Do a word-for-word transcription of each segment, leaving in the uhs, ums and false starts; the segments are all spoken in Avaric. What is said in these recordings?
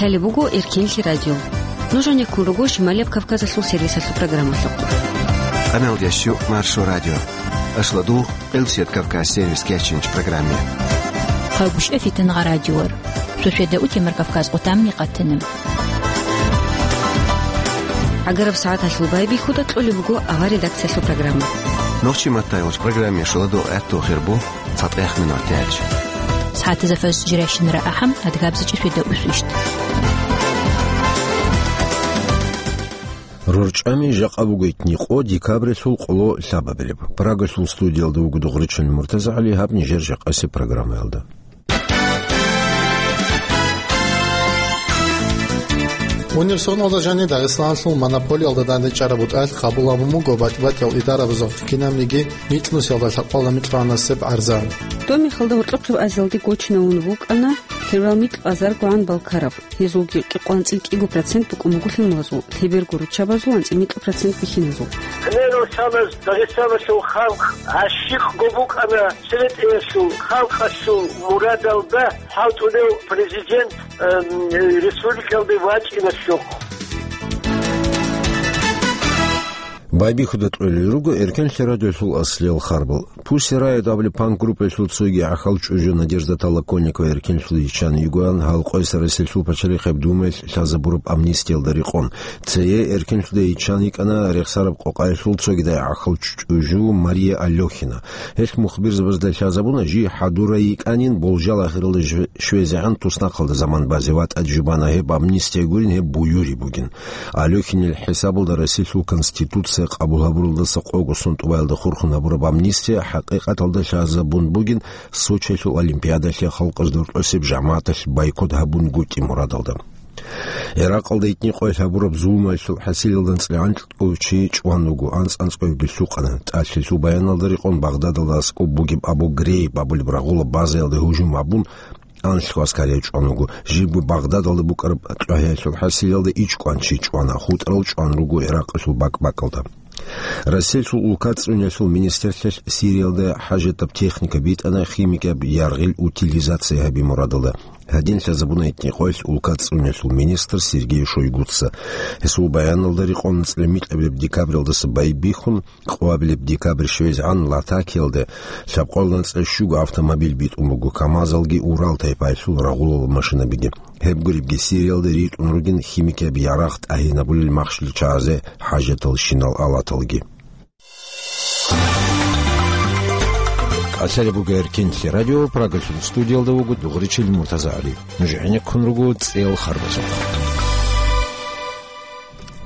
Лъалеб буго Эркенлъи радио. Нуж гьанеккун руго Шималияб Кавказалъул сервисалъул программалъухъ. Къамел ящу Маршо радио. Ашладу Къилсият Кавказ сервис кечинч программе. Хъалгушев Фитнагъа радиор. Шошеда утемар Кавказ къутамни къатана. Агараб сагӀаталъул байбихьуда кьолеб буго авар редакциялъул программа. Нохчи маттайолч программе шуладу гӀатту хирбу. ЦатӀех минут тяч. СагӀатазафас жирайщинара ахӀам, адгабзичӀи шведа усвищт. РорчӀами жакъа бугойтни къо декабрилъул къоло лъабабилеб. Прагалъул студиялда вуго Дугъричил МуртазагӀали, гьаб нижер жакъаси программаялда. Универсионалда жани Дагъистаналъул монополиялда дандечӀараб бутӀалъ къабул гьабун буго батӀи-батӀиял идарабазухъ кинабниги микьнусиялда лъабкъоялда микьгӀанасеб гӀарза. Доб мехалда гьоркьохъеб азиялде гочинавун вукӀана лъебал микь базар гугӀан балкараб. Гьезулги кӀикъоялда анцӀила кӀиго процент букӀун буго лъималазул, лъеберго руччабазул анцӀила микьа процент бихьиназул. Гьеле росалаз Дагъистаналъул халкъ гӀащикъго букӀана церетӀеялъул халкъалъул мурадалда хӀалтӀулев президент, эм, республикалде вачӀиналъухъ. Байбихьуда кьолел руго Эркенлъи радиолъул аслиял харбал. Пусси райд абулеб панк-группаялъул цоги гӀахьал чӀужу Надежда Толоконникова эркенлъулъ йиччан йигоян, гьал къойса Россиялъул пачалихъеб Думаялъ лъазабураб амнистиялда рекъон. Цее эркенлъуда йиччан йикӀана рехсараб къокъаялъул цогидай гӀахьал чӀужу Мария Алёхина. Гьелъ мухбирзабазда лъазабуна, жий хӀадурай йикӀанин, болжал ахиралда жв-, щвезегӀан туснахъалда заман базе ва тӀад жубана гьеб амнистия гурин, гьеб буюри бугин. Алёхинил хӀисабалда Россиялъул Конституция къабул гьабуралдаса къого сон тӀубаялда хурхун гьабураб амнистия хӀакъикъаталда лъазабун бугин Сочиялъул Олимпиадалъе халкъалъ дуртӀосеб жамагӀаталъ бойкот гьабунгутӀи мурадалда. Иракъалда итни къоялъ гьабураб зулмаялъул хӀасилалда анцӀила анкьго чи чӀван вуго, анцӀ-анцӀгоябги лъукъана. ТӀалъилъул баяналда рекъон Багъдадалда аскӀоб бугеб Абу Грейб абулеб рагъулаб базаялда гьужум гьабун, анлъго аскарияв чӀван вуго. Жибго Багъдадалда букӀараб кьвагьиялъул хӀасилалда ичӀкӀван чи чӀвана, хутӀарал чӀван руго Иракъалъул бакӀ-бакӀалда. Россиялъул улкацӀцӀуниялъул министрлъиялъ Сириялда хӀажатаб техника битӀана химикияб яргъил утилизация гьаби мурадалда. Гьадин лъазабуна итни къоялъ улкацӀцӀуниялъул министр Сергей Шойгуца. Гьесул баяналда рекъон анцӀила микьабилеб декабралдаса байбихьун, къоабилеб декабрь щвезегӀан Латакиялда лъабкъоялда анцӀила щуго автомобиль битӀун буго, КамАЗалги Урал тайпаялъул рагъулал машинабиги. Гьеб гуребги Сириялда ритӀун ругин химикияб ярагъ тӀагьинабулел махщел чагӀазе хӀажаталщинал алаталги. Къасалеб буго Эркенлъи радио, Прагалъул студиялда вуго Дугъричил МуртазагӀали. Нуж гӀенеккун руго цӀел харбазухъ.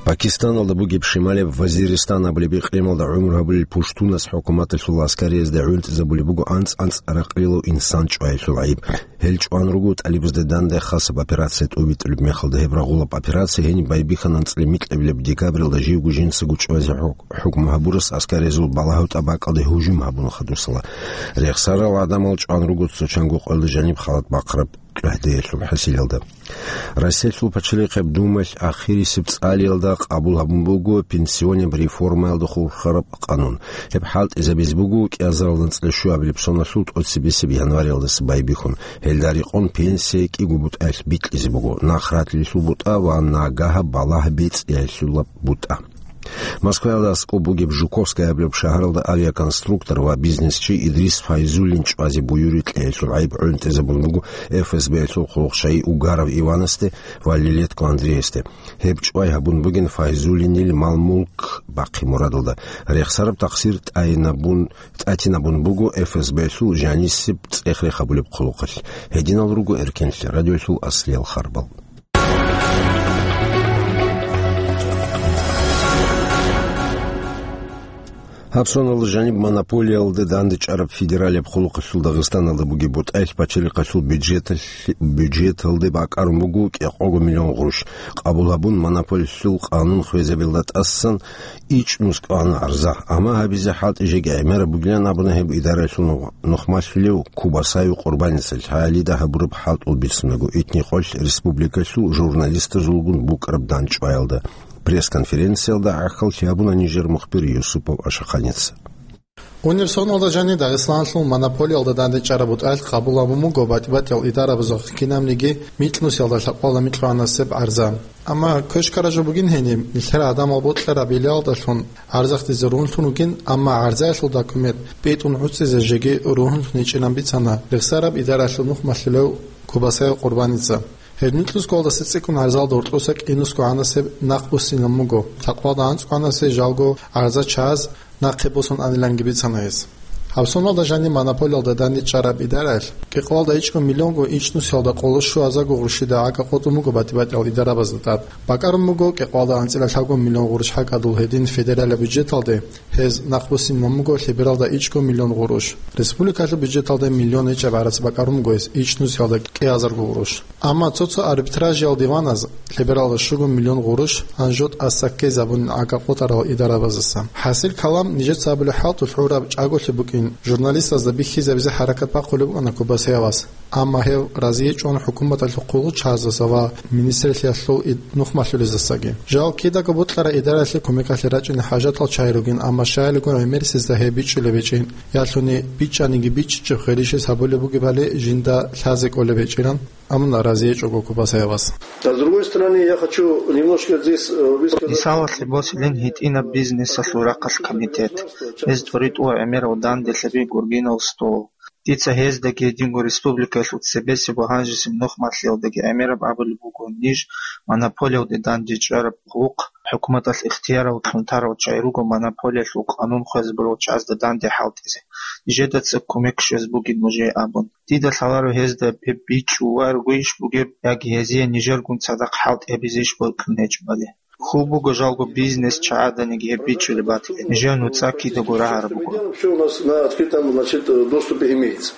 Пакистаналда бугеб Шималияб Вазиристан абулеб икълималда гӀумру гьабулел пуштунас хӀукуматалъул аскариязда гӀунтӀизабулеб буго анцӀ-анцӀ ракълилав инсан чӀваялъул гӀайиб. Гьел чӀван руго тӀалибазда данде хасаб операция тӀубитӀулеб мехалда. Гьеб рагъулаб операция гьениб байбихьана анцӀила микьабилеб декабралда живго жинцаго чӀвазе хӀу-, хӀукму гьабурас аскариязул балагьав тӀабакӀалде гьужум гьабуна хадусала. Рехсарал гӀадамал чӀван руго цо чанго къоялда жаниб халат бахъараб кьвагьдеялъул хӀасилалда. Россиялъул пачалихъеб Думаялъ ахирисеб цӀалиялда къабул гьабун буго пенсионеб реформаялда хурхараб къанун. Гьеб хӀалтӀизабизе буго кӀиазарал анцӀила щуабилеб соналъул тӀоцебесеб январалдаса байбихьун. Гьелда рекъон пенсия кӀиго бутӀаялъ бикьизе буго: нахъратилелъул бутӀа ва нагагьаб балагь бецӀиялъулаб бутӀа. Москваялда аскӀоб бугеб Жуковская абулеб шагьаралда авиаконструктор ва бизнесчи Идрис Файзуллин чӀвазе буюри кьеялъул гӀайиб гӀунтӀизабун буго ФСБ-ялъул хъулухъчагьи Угаров Иванасде ва Лелетко Андреасде. Гьеб чӀвай гьабун бугин Файзуллинил мал-мулк бахъи мурадалда. Рехсараб такъсир тӀайинабун, тӀатинабун буго ФСБ-ялъул жанисеб цӀех-рех гьабулеб хъулухъалъ. Гьединал руго Эркенлъи радиоялъул аслиял харбал. Гьаб соналда жаниб монополиялда дандечӀараб федералияб хъулухъалъул Дагъистаналда бугеб бутӀаялъ пачалихъалъул бюджеталъ-, бюджеталде бакӀарун буго кӀикъого миллион гъурущ. Къабул гьабун, монополиялъул къанун хвезабиялда тӀасан ичӀнус кӀвана гӀарза. Амма гьабизе хӀалтӀи жеги гӀемераб бугилан абуна гьеб идараялъул нух-, нухмалъулев Кубасаев Къурбаница лъалида гьабураб хӀалтӀул бицунаго, итни къоялъ республикалъул журналистазулгун букӀараб дандчӀваялда. Пресс-конференциялда гӀахьаллъи гьабуна нижер мухбир Юсупов Ашаханица. Гьуниб соналда жаниб Дагъистаналъул монополиялда дандечӀараб бутӀралъ къабул гьабун буго батӀи-батӀиял идарабазухъ кинабниги микьнусиялда лъабкъоялда микьгӀанасеб гӀарза. Амма квешкара жо бугин гьениб, нилъер гӀадамал бокьараб билалдалъун гӀарзахъдизе ругьунлъун ругин, амма гӀарзаялъул документ битӀун гӀуцӀизе жеги ругьунлъун гьечӀинан бицана рехсараб идараялъул нухмалъулев Кубасаев Къурбаница. Гьеб микьнусго гьалдаса цӀикӀкӀун гӀарзалда гьоркьоса кӀинусго гӀанасеб нахъ буссинаб буго, лъабкъоялда анцӀго гӀанасе жалго гӀарза чагӀаз нахъе босун аниланги бицана гьес. Гьаб соналда жаниб монополиялда дандечӀараб идараялъ кӀикъоялда ичӀго миллионго ичӀнусиялда къоло щуазарго гъурущида гӀага къотӀун буго батӀи-батӀиял идарабазда тӀад. БакӀарун буго кӀикъоялда анцӀила лъабго миллион гъурущ гьакӀадул гьедин федералияб бюджеталде, гьез нахъ буссинаб буго лъебералда ичӀго миллион гъурущ. Республикалъул бюджеталда миллион гьечӀеб гӀарац бакӀарун буго гьес ичӀнусиялда кӀиазарго гъурущ. Амма цо-цо арбитражиял диваназ лъебералда щуго миллион гъурущ гьанжо тӀаса ккезабунин гӀага къотӀарал идарабаздаса. ХӀасил калам, нижеца абулеб хӀалтӀулъ гӀураб чӀаголъи букӀин, журналистазда бихьизабизе хӀаракат бахъулеб букӀана Кубасаевас. Амма гьев разиечӀун хӀукуматалъул хъулухъчагӀаздаса ва министрлъиялъул ид-, нухмалъулездасаги. Жал кидаго бокьараб идараялъе кумекалъе рачӀине хӀажатал чагӀи ругин, амма щайилгун гӀемерисезда гьеб бичӀчӀулеб гьечӀин, ялъуни бичӀчӀаниги бичӀчӀичӀеб хирищ гьабулеб бугебали жинда лъазе кӀолеб гьечӀилан. Амма разиечӀого Кубасаевас. А с другой стороны, я хочу немножко здесь, э, высказать... Мисалалъе босилин гьитӀинаб бизнесалъул рахъалъ комитет. Гьез тӀоритӀула гӀемерал данделъаби гургинал стол. Дица гьездаги гьединго республикаялъул цебесеб ва гьанжесеб нухмалъиялдаги гӀемераб абулеб буго ниж монополиялде дандечӀараб хъулухъ, хӀукуматалъ ихтияр гьабун тарал чагӀи руго монополиялъул къанун хвезабурал чагӀазда данде хӀалтӀизе, нижеда цебе кумек щвез бугин нужее абун. Дида лъаларо гьезда гьеб бичӀчӀуларгойищ бугеб, яги гьезие нижергун цадахъ хӀалтӀи гьабизейищ бокьун гьечӀебали. Хьул буго жалго бизнес чагӀаданиги гьеб бичӀчӀулеб батилан, нижер нуцӀа кидаго рагӀараб буго. Всё у нас на открытом, значит, доступе имеется.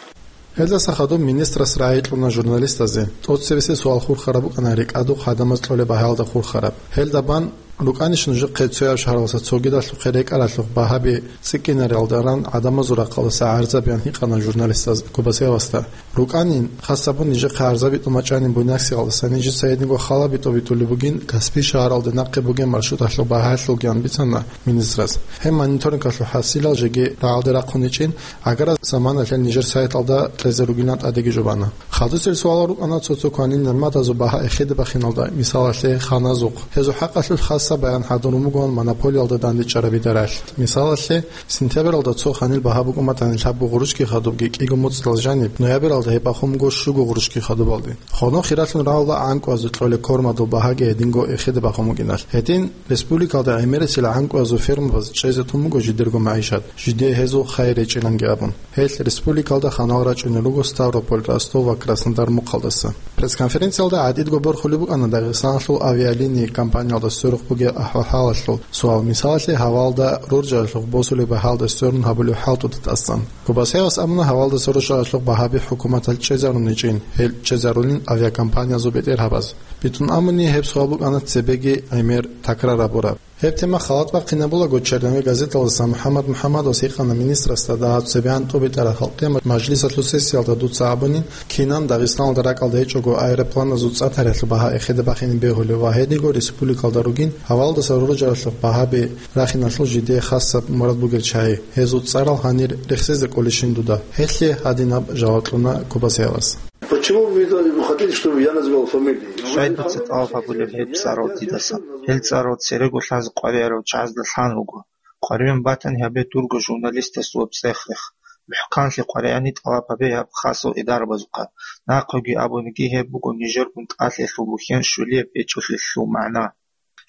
Гьелдаса хадуб министрас рагӀи кьуна журналистазде. ТӀоцебесеб суал хурхараб букӀана рекӀадухъ гӀадамаз кьолеб багьаялда хурхараб. Гьелда бан, рукӀанищ нужехъе цояб шагьаралдаса цогидалъухъе рекӀаралъухъ багьаби цӀикӀкӀинарелда ран гӀадамазул рахъалдаса гӀарзабиан гьикъана журналистаз Кубасаевасда. РукӀанин, хасабун нижехъе гӀарзаби тӀумачӀанин Буйнакскиялдаса нижеца гьединго халаби тӀобитӀулеб бугин Каспий шагьаралде нахъе бугеб маршруталъул багьаялъулгиян бицана министрас. Гьеб мониторингалъул хӀасилал жеги рагӀалде рахъун гьечӀин, гӀагарал заманалъе нижер сайталда кьезе ругилан тӀадеги жубана. Хадусел суалал рукӀана цо-цо кванил нигӀматазул багьа эхеде бахиналда, мисалалъе, ханазухъ. Гьезул хӀакъалъулъ хасаб баян хӀадурун бугоан монополиялда дандечӀараб идаралъ. Мисалалъе, сентябралда цо ханил багьа букӀун батани лъабго гъурущги хадубги кӀиго муцӀидал жаниб, ноябралда гьеб бахун буго щуго гъурущги хадубалде. Гьанив хиралъун рагӀула гӀанкӀуязул кьолеб кормадул багьаги гьединго эхеде бахун букӀиналъ. Гьедин, республикалда гӀемерисел гӀанкӀуязул фермабаз чӀезе тун буго жидерго магӀишат, жидее гьезул хайир гьечӀиланги абун. Гьелъ республикалда ханал рачӀунел руго Ставрополь, Ростов ва Краснодар мухъалдаса. Пресс-конференциялда гӀадидго борхулеб букӀана Дагъистаналъул авиалинии компаниялда сверухъ бугеб ахӀвал-хӀалалъул суал, мисалалъе, гьавалда роржаралъухъ босулеб багьаялда сверун гьабулеб хӀалтӀуда тӀасан. Кубасаевас абуна гьавалдаса роржаралъухъ багьаби хӀукуматалъ чӀезарун гьечӀин, гьел чӀезарулин авиакомпаниязул бетӀергьабаз. БитӀун абуни, гьеб суал букӀана цебеги гӀемер такрар гьабураб. Гьеб тема халат бахъинабулаго, «Черновой» газеталдаса МухӀаммад МухӀаммадовас гьикъана министрасда дагьаб цебегӀан тӀубитӀараб халкъиял мажлисалъул сессиялда дуца абунин, кинан Дагъистаналда ракӀалда гьечӀого аэропланазул цӀа-тарихӀалъул багьа эхеде бахине бегьулеб ва гьединго республикалда ругин гьавалдаса роржаралъухъ багьаби рахиналъул жидее хасаб мурад бугел чагӀи, гьезул цӀарал гьанир рехсезе кӀолищин дуда? Гьелъие гьадинаб жаваб кьуна Кубасаевас. Почему вы хотите, чтобы я называл фамилии? Щай дуца тӀалаб гьабулеб гьеб цӀарал дидасан? Гьел цӀарал церего лъазе къваригӀарав чагӀазда лъан руго. КъваригӀун батани гьабе дурго журналистасул цӀех-рех. МухӀканлъи къваригӀани тӀалаб гьабе гьаб хасал идарабазухъа. Нахъеги абуниги, гьеб буго нижергун тӀалъиялъул бухьен щулияб гьечӀолъиялъул магӀна.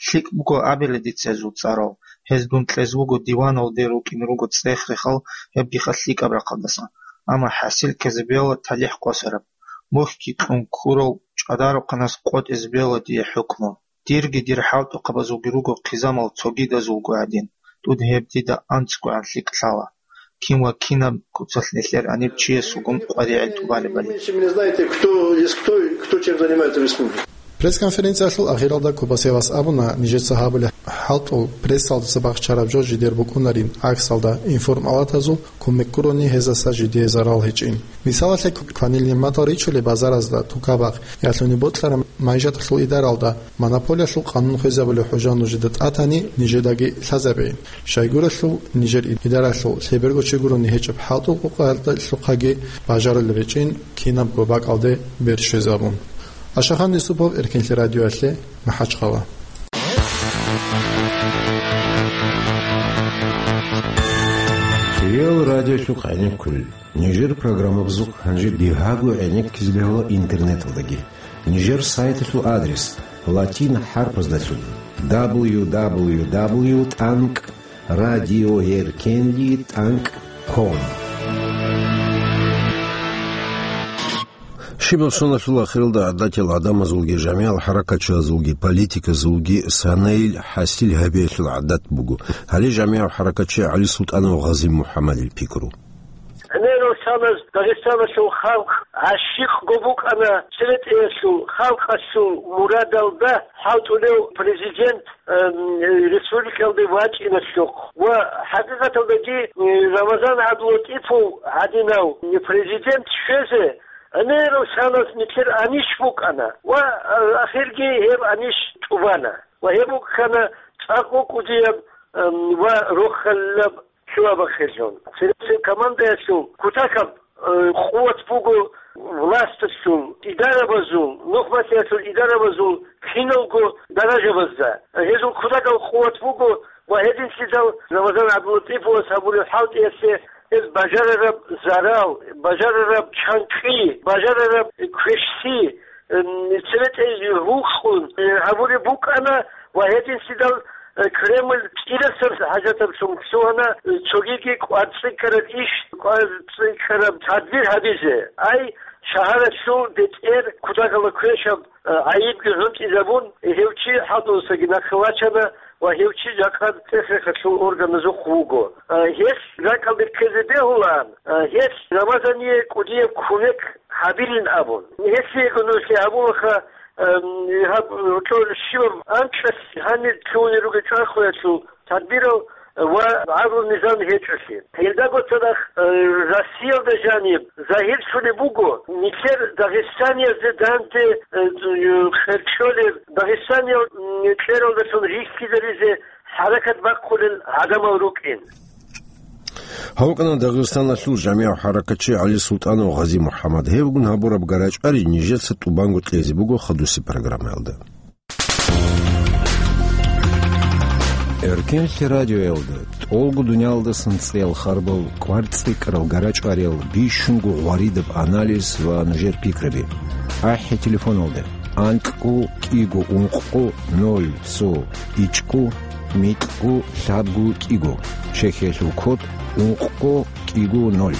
ЛъикӀ буго абила дица гьезул цӀарал. Гьез дун кьезе вуго диваналде рукӀине руго цӀех-рехал, гьебгиха лъикӀаб рахъалдасан. Амма хӀасил ккезе бегьула талихӀ къосараб. Мухьги кьун ккурал чӀадарухъанас къотӀизе бегьула дие хӀукму. Дирги дир хӀалтӀухъабазулги руго хъизамал цогидазулго гӀадин, тӀуд гьеб дида анцӀгогӀан лъикӀ лъала. Кин ва кинаб куцалъ нилъер гьаниб чиясулгун къваригӀел тӀубалебали. Если не знаете, кто есть кто, кто чем занимается в республике. Пресс-конференциялъул ахиралда Кубасевас абуна, нижеца гьабулеб хӀалтӀул прессалдаса бахчараб жо жидер букӀунарин, гӀаксалда, информалатазул кумек гурони гьезаса жидее зарал гьечӀин. Мисалалъе, кванил нигӀматал ричулеб базаразда, тукабахъ, ялъуни бокьараб майжаталъул идаралда монополиялъул къанун хвезабулеб хӀужа нужеда тӀатани, нижедаги лъазабейин. Щайгурелъул нижер идаралъул лъеберго чи гурони гьечӀеб хӀалтӀул къукъаялдалъухъаги бажарулеб гьечӀин, кинабго бакӀалде бер щвезабун. Ашахан Юсупов, Эркенлъи радиоялъе, МахӀачхъала. Киял радиолъухъ гӀенеккулел. Нижер программабазухъ гьанже бигьаго гӀенеккизе бегьула интернеталдаги. Нижер сайталъул адрес латин хӀарпаздалъун: дабл ю дабл ю дабл ю тӀанкӀ радиоэркенли тӀанкӀ ком. Щибаб соналъул ахиралда гӀадатиял гӀадамазулги, жамигӀал хӀаракатчиязулги, политиказулги санайил хӀасил гьабиялъул гӀадат буго. Гьале жамигӀав хӀаракатчи ГӀалисултӀанов Гъази-МухӀаммадил пикру. ГӀемерал саназ Дагъистаналъул халкъ гӀащикъго букӀана церетӀеялъул, халкъалъул мурадалда хӀалтӀулев президент, эм, республикалде вачӀиналъухъ. Ва хӀакъикъаталдаги, э, Рамазан ГӀабдулатӀипов гӀадинав президент щвезе гӀемерал саназ нилъер анищ букӀана ва, э, ахирги гьеб анищ тӀубана. Ва гьеб букӀана цӀакъго кӀудияб, эм, ва рохалилаб лъугьа-бахъинлъун. Цересел командаялъул кутакаб, э, къуват буго власталъул, идарабазул, нухматиялъул идарабазул киналго даражабазда. Гьезул кутакаб къуват буго ва гьединлъидал Рамазан ГӀабдулатӀиповас гьабулеб хӀалтӀиялъе гьез бажарараб зарал, бажарараб чанкъи, бажарараб квешлъи, эм, церетӀей гьукъун, э, гьабулеб букӀана ва гьединлъидал, э, Кремль кӀирасаб хӀажатаблъун лъугьана, э, цогиги кӀварцӀикӀкӀараб иш, кӀварцӀикӀкӀараб тадбир гьабизе. Ай, шагьаралъул бетӀер кутакалда квешаб, э, гӀайибги гӀунтӀизабун, гьев чи хӀалтӀудасаги нахъе вачана ва гьев чи жакъа цӀех-рехалъул органазухъ вуго. Э, гьелъ ракӀалде ккезе бегьулаан, э, гьелъ Рамазание кӀудияб кумек гьабилин абун. Гьелъиего нуж гьабулаха, эм, гьаб, гьоркьор щибаб анкьалъ гьанир лъугьунел ругел чӀвахуялъул тадбирал ва гӀадлу-низам гьечӀолъи. Гьелдаго цадахъ, э, Россиялда жаниб загьирлъулеб буго, нилъер дагъистаниязде данде, э, къеркьолеб, дагъистаниял, м, кьералдалъун рихьизаризе хӀаракат бахъулел гӀадамал рукӀин. Гьавкъана Дагъистаналъул жамигӀ хӀаракатчи ГӀалисултӀанов Гъази-МухӀаммад. Гьевгун гьабураб гарачӀари нижеца тӀубанго кьезе буго хадусеб программаялда. Эркенлъи радиоялда тӀолго дуниялдасан цӀеял харбал, кӀварцӀикӀкӀарал гарачӀвариял, бищунго гъваридаб анализ ва нужер пикраби. АхӀи телефоналда: анкьго кӀиго ункъго ноль цо ичӀго микьго лъабго кӀиго, чехиялъул код ункъго кӀиго ноль.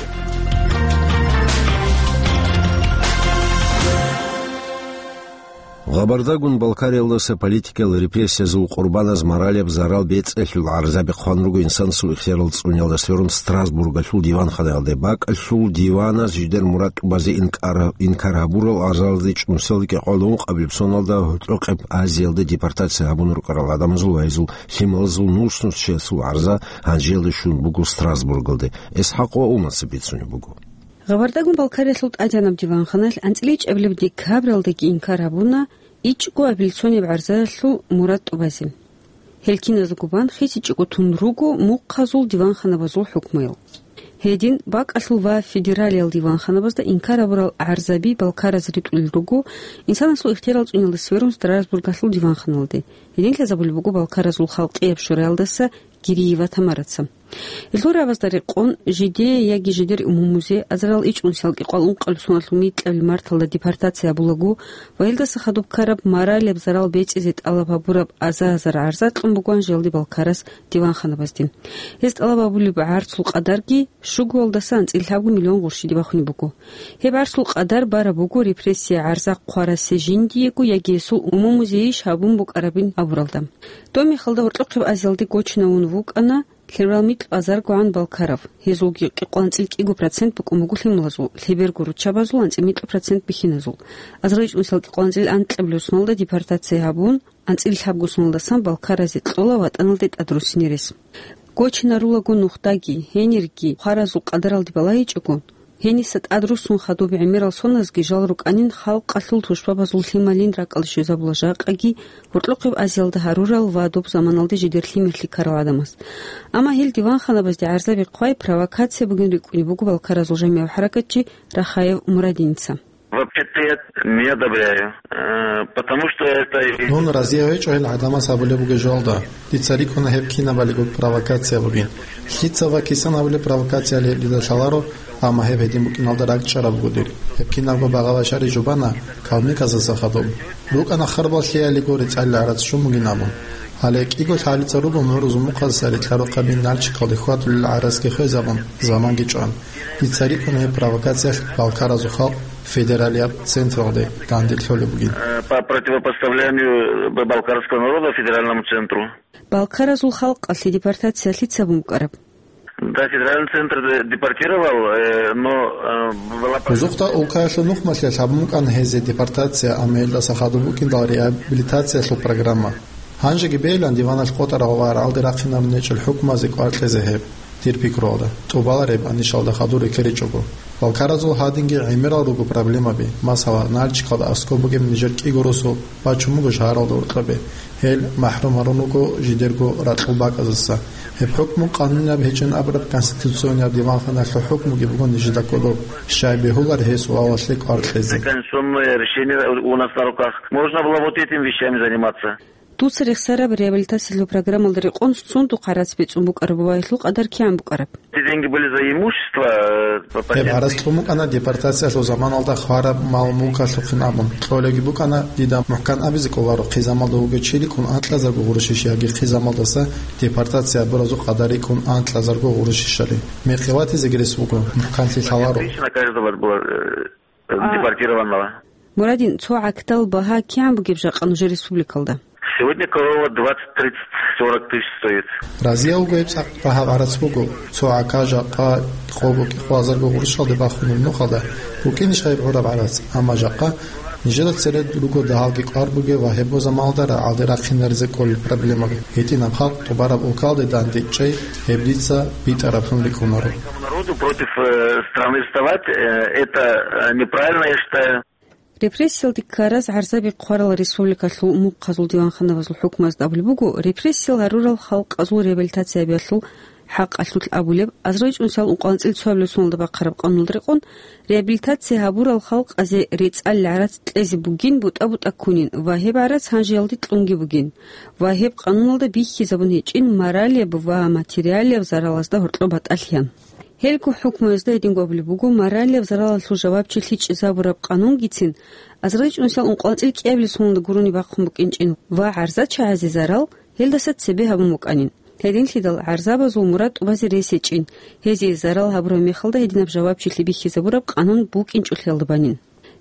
Гъабардагун Балкариялдаса политикиял репрессиязул къурбаназ моралияб зарал бецӀиялъул гӀарзаби хъван руго инсанасул ихтиярал цӀуниялда сверун Страсбургалъул диванханаялде. БакӀалъул диваназ жидер мурад тӀубазе инкар, инкар гьабурал гӀарзалазде чӀунусиялда кӀикъоялда ункъабилеб соналда гьоркьохъеб Азиялда депортация гьабун рукӀарал гӀадамазул ва гьезул лъималазул нус-нусчиясул гӀарза гьанжеялде щун буго Страсбургалде. ИсхӀакъ ва Умаса бицунеб буго. Гъабардагун Балкариялъул тӀадегӀанаб диванханалъ анцӀила ичӀабилеб декабралдаги инкар гьабуна ичӀго апелляционияб гӀарзаялъул мурад тӀубазе. Гьел киназдаго бан хисичӀого тун руго мухъазул диванханабазул хӀукмуял. Гьедин, бакӀалъул ва федералиял диванханабазда инкар гьабурал гӀарзаби балкараз ритӀулел руго инсанасул ихтиярал цӀуниялда сверун Страсбургалъул диванханалде. Гьедин лъазабулеб буго Балкаразул халкъияб шураялдаса Гириева Тамараца. Гьелъул рагӀабазда рекъон, жидее яги жидер умумузе азарал ичӀнусиялда кӀикъоялда ункъабилеб соналъул микьабилеб марталда депортация гьабулаго ва гьелдаса хадуб ккараб моралияб зарал бецӀизе тӀалаб гьабураб аза-азар гӀарза кьун буго гьанжеялде Балкараз диванханабазде. Гьез тӀалаб гьабулеб гӀарцул къадарги щугоялдаса анцӀила лъабго миллион гъурщиде бахунеб буго. Гьеб гӀарцул къадар бараб буго репрессия гӀарза хъварасе жиндиего яги гьесул умумузе иш гьабун букӀарабин абуралда. Доб мехалда гьоркьохъеб Азиялде гочинавун вукӀана Лъеберал микьго азаргогӀан балкарав. Гьезулги кӀикъоялда анцӀила кӀиго процент букӀун буго лъималазул, лъеберго руччабазул анцӀила микьго процент бихьиназул. Азарил чӀунусиялда кӀикъоялда анцӀила анкьабилеб соналда депортация гьабун, анцӀила лъабго соналдасан балкаразе кьола ватӀаналде тӀадруссине рес. Гочинарулаго нухдаги, гьенирги хваразул къадаралде балагьичӀого, гьениса тӀадруссун хадуб гӀемерал соназги жал рукӀанин халкъалъул тушбабазул лъималин ракӀалде щвезабула жакъаги гьоркьохъеб Азиялда гьарурал ва доб заманалде жидер лъимерлъи ккарал гӀадамаз. Амма гьел диванханабазде гӀарзаби хъвай провокация бугин рикӀкӀунеб буго балкаразул жамигӀав хӀаракатчи Рахаев Мурадиница. Вообще-то я не одобряю, э, потому что это и Дун разие гьечӀо гьел гӀадамаз гьабулеб бугеб жоялда. Дица рикӀкӀуна гьеб кинабалиго провокация бугин. Лъица ва кисан гьабулеб провокацияли гьеб дида лъаларо, амма гьеб гьедин букӀиналда ракӀчӀараб буго дир. Гьеб кинабго багъа-башари жубана калмыказаса хадуб. РукӀана харбал лъиялиго рецӀалил гӀарац щун бугин абун. Гьале кӀиго лъалица руго мугӀрузул мухъазаса рикьа-рукъаби Нальчикалде хьвадулел гӀарацги хвезабун, заманги чӀван. Дица рикӀкӀуна гьеб провокациялъ балкаразул халкъ федералияб централде данде лъолеб бугин. Э, по противопоставлению б-, балкарского народа федеральному центру. Балкаразул халкъалъе депортация лъица гьабун букӀараб? Да, федеральный центр де-, депортировал, э, но, э, была... Бузухъда улкаялъул нухмалъиялъ гьабун букӀана гьезие депортация, амма гьелдаса хадуб букӀиндал реабилитациялъул программа. Гьанжеги бегьилан диваналъ къотӀарав ва рагӀалде рахъинарун гьечӀел хӀукмазе кӀвар кьезе гьеб, дир пикруялда, тӀубалареб анишалда хадур рекеричӀого. Балкаразул гьадинги гӀемерал руго проблемаби, масала, Нальчикалда аскӀоб бугеб нижер кӀиго росу бачун буго шагьаралда гьоркьобе. Гьел махӀрум гьарун руго жидерго ракьул бакӀаздаса. Гьеб хӀукму къанунаб гьечӀин абураб конституционияб диванханалъул хӀукмуги буго нижеда кодоб, щай бегьулар гьес вавалъе кӀвар кьезе. Конституционное решение у нас на руках. Можно было вот этими вещами заниматься. Дуца рехсараб реабилитациялъул программалда рекъон цун духъ гӀарац бецӀун букӀараб ва гьелъул къадар кигӀан букӀараб? Эти деньги были за имущество, э, по... Гьеб гӀарац кьун букӀана депортациялъул заманалда хвараб мал-мулкалъухъин абун. Кьолаги букӀана, дида мухӀкан абизе кӀоларо, хъизамалда вугев чи рикӀкӀун анкьазарго гъурущ иш яги хъизамалдаса депортация гьабуразул къадар рикӀкӀун анкьазарго гъурущ ишали. Мекъи ватизеги рес вуго, мухӀканлъи лъаларо. Тысяча на каждого было, э, А. депортированного. Мурадин, цо гӀакдал багьа кигӀан бугеб жакъа нужер республикалда? Сегодня корова двадцать, тридцать, сорок тысяч стоит. Разияв вуго гьеб цӀакъ багьа гӀарац буго. Цо гӀака жакъа къого-кӀикъоязарго гъурущалде бахунеб нухалда букӀинищ гьеб гӀураб гӀарац, амма жакъа нижеда цере руго дагьалги кӀвар бугеб ва гьеб заманалда рагӀалде рахъинаризе кколел проблемаби. ГьитӀинаб халкъ тӀубараб улкалде данде чӀей гьеб дица битӀараблъун рикӀкӀунаро. Народу против, э, страны вставать, э, это, э, неправильно, я считаю. Репрессиялде ккараз гӀарзаби хъварал республикалъул мухъазул диванханабазул хӀукмазда абулеб буго, репрессиял гьарурал халкъазул реабилитация гьабиялъул хӀакъалъулъ абулеб, азарил чӀунусиялда ункъоялда анцӀила цоабилеб соналда бахъараб къануналда рекъон, реабилитация гьабурал халкъазе рецӀал гӀарац кьезе бугин бутӀа-бутӀа ккунин ва гьеб гӀарац гьанжеялде кьунги бугин ва гьеб къануналда бихьизабун гьечӀин моралияб ва материалияб заралазда гьоркьоб батӀалъиян. Гьелго хӀукмуязда гьединго абулеб буго, моралияб заралалъул жавабчилъи чӀезабураб къанунгицин азарил чӀунусиялда ункъоялда анцӀила кӀиабилеб соналда гурони бахъун букӀинчӀин ва гӀарзачагӀазе зарал гьелдаса цебе гьабун букӀанин. Гьединлъидал гӀарзабазул мурад тӀубазе рес гьечӀин, гьезие зарал гьабураб мехалда гьединаб жавабчилъи бихьизабураб къанун букӀинчӀолъиялда банин.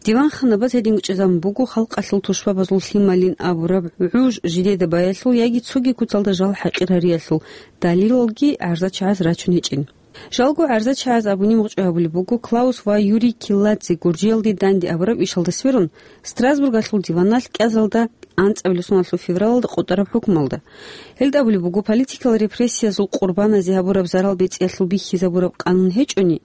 Диванханабаз гьединго чӀезабун буго халкъалъул тушбабазул лъималин абураб гӀуж жидеда баялъул яги цоги куцалда жал хӀакъир гьариялъул далилалги гӀарзачагӀаз рачун гьечӀин. Жалго гӀарзачагӀаз абуни мукъчӀвай гьабулеб буго, Клаус ва Юрий Килладзе Гуржиялде данде абураб ишалда сверун, Страсбургалъул диваналъ кӀиазалда анцӀабилеб соналъул февралалда къотӀараб хӀукмалда. Гьелда абулеб буго, политикал репрессиязул къурбаназе гьабураб зарал бецӀиялъул бихьизабураб къанун гьечӀони,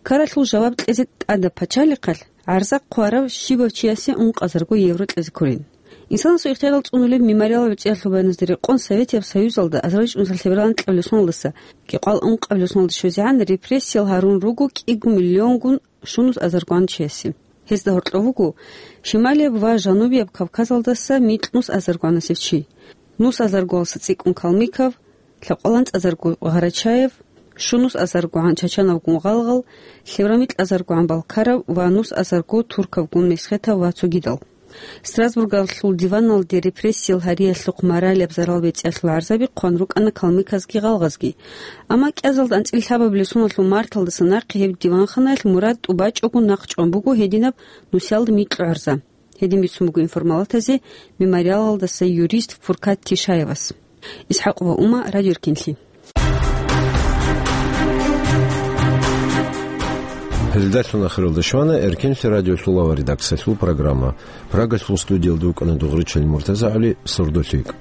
ккаралъул жаваб кьезе тӀадаб пачалихъалъ гӀарза хъварав щибав чиясе ункъазарго евро кьезе кколин. Инсанасул ихтиярал цӀунулеб мемориалаб бецӀиялъул баяназда рекъон Советияб Союзалда азарил чӀунусиялда лъеберал анкьабилеб соналдаса кӀикъоялда ункъабилеб соналда щвезегӀан репрессиял гьарун руго кӀиго миллионгун щунус азаргогӀан чиясе. Гьезда гьоркьов вуго Шималияб ва Жанубияб Кавказалдаса микь нус азаргогӀанасев чи, нус азаргоялдаса цӀикӀкӀун калмыкав, лъабкъоялда анцӀазарго гъарачаев, щунус азаргогӀан чачанавгун гъалгъал, лъеберал микь азаргогӀан балкарав ва нус азарго туркавгун месхетав ва цогидал. Страсбургалъул диваналде репрессиял гьариялъухъ моралияб зарал бецӀиялъул гӀарзаби хъван рукӀана калмыказги гъалгъазги. Амма кӀиазалда анцӀила лъабабилеб соналъул марталдаса нахъе гьеб диванханаялъ мурад тӀубачӀого нахъчӀван буго гьединаб нусиялда микьго гӀарза. Гьедин бицун буго информалатазе мемориалалдаса юрист Фуркат Тишаевас. ИсхӀакъова Ума, Радио Эркенлъи. Гьелдалъун ахиралда щвана Эркенлъи радиолъул аварагасул программа. Прагалъул студиялда вукӀана Дугъричил МуртазагӀали, сордо лъикӀ.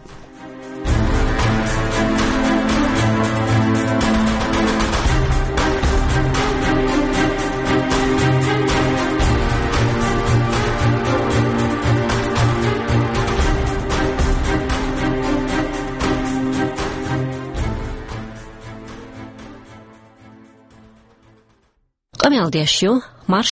Къамиялдиящу,